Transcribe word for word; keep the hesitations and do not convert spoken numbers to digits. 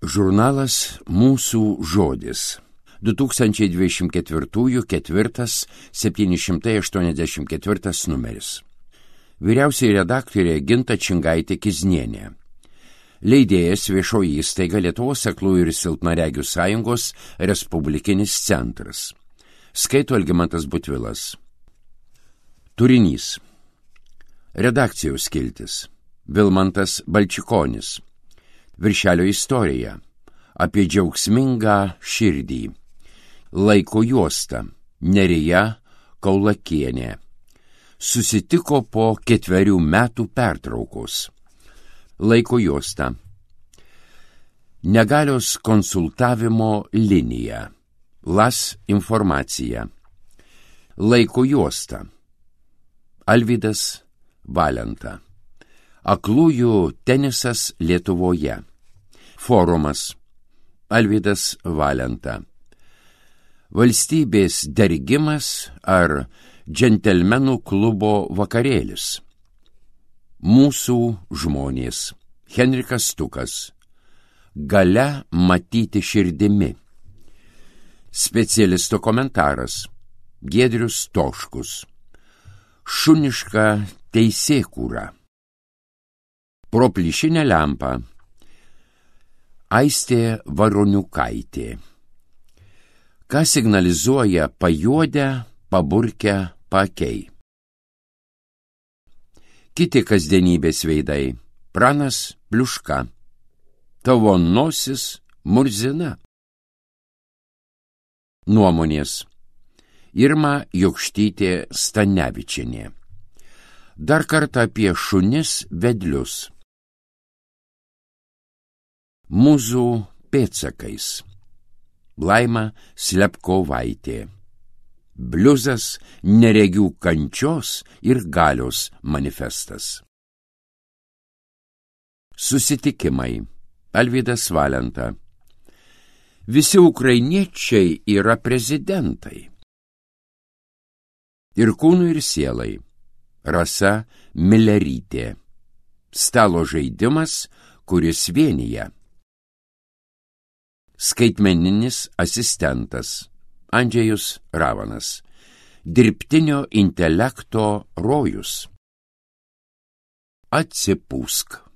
Žurnalas Mūsų žodis. du tūkstančiai dvidešimt ketvirtųjų ketvirtas septyni šimtai aštuoniasdešimt ketvirtas numeris. Vyriausiai redaktorė Ginta Čingaitė-Kiznienė. Leidėjas viešoji įstaiga Lietuvos aklųjų ir silpnaregių sąjungos Respublikinis centras. Skaito Algimantas Butvilas. Turinys. Redakcijos skiltis. Vilmantas Balčikonis. Viršelio istorija. Apie džiaugsmingą širdį. Laiko juosta. Nerija Kaulakienė. Susitiko po ketverių metų pertraukos. Laiko juosta. Negalios konsultavimo linija. Las informacija. Laiko juosta. Alvydas Valenta. Aklųjų tenisas Lietuvoje. Forumas. Alvydas Valenta. Valstybės dergimas ar džentelmenų klubo vakarėlis. Mūsų žmonės. Henrikas Stukas. Galia matyti širdimi. Specialisto komentaras. Giedrius Toškus. Šuniška teisėkūra. Pro plyšinę lempą. Aistė Varoniukaitė. Ką signalizuoja pajuodę, paburkę paakiai. Kiti kasdienybės veidai. Pranas Pliuška. Tavo nosis murzina. Nuomonės. Irma Jokštytė Stanevičienė. Dar kartą apie šunis vedlius. Mūzų pėdsakais. Laima Slepkovaitė. Bliuzas neregių kančios ir galios manifestas. Susitikimai. Alvydas Valenta. Visi ukrainiečiai yra prezidentai. Ir kūnui ir sielai. Rasa Milerytė. Stalo žaidimas, kuris vienyje. Skaitmeninis asistentas. Andžejus Ravanas. Dirbtinio intelekto rojus. Atsipūsk.